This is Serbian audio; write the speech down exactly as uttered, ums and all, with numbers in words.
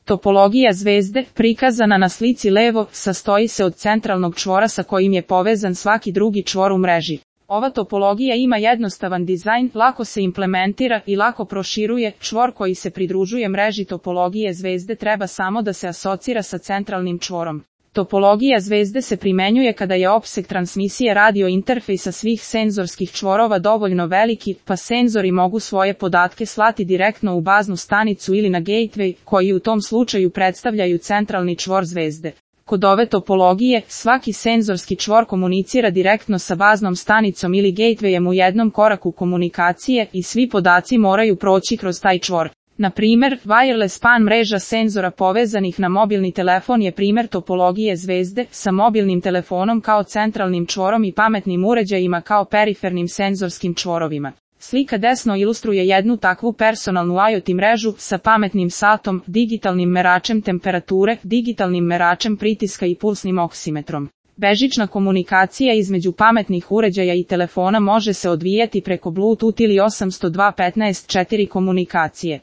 Topologija zvezde, prikazana na slici levo, sastoji se od centralnog čvora sa kojim je povezan svaki drugi čvor u mreži. Ova topologija ima jednostavan dizajn, lako se implementira i lako proširuje. Čvor koji se pridružuje mreži topologije zvezde treba samo da se asocira sa centralnim čvorom. Topologija zvezde se primenjuje kada je opseg transmisije radio interfejsa svih senzorskih čvorova dovoljno veliki, pa senzori mogu svoje podatke slati direktno u baznu stanicu ili na gateway, koji u tom slučaju predstavljaju centralni čvor zvezde. Kod ove topologije, svaki senzorski čvor komunicira direktno sa baznom stanicom ili gatewayem u jednom koraku komunikacije i svi podaci moraju proći kroz taj čvor. Na primjer, wireless PAN mreža senzora povezanih na mobilni telefon je primjer topologije zvezde, sa mobilnim telefonom kao centralnim čvorom i pametnim uređajima kao perifernim senzorskim čvorovima. Slika desno ilustruje jednu takvu personalnu IoT mrežu sa pametnim satom, digitalnim meračem temperature, digitalnim meračem pritiska i pulsnim oksimetrom. Bežična komunikacija između pametnih uređaja i telefona može se odvijati preko Bluetooth ili osam sto dva dot petnaest četiri komunikacije.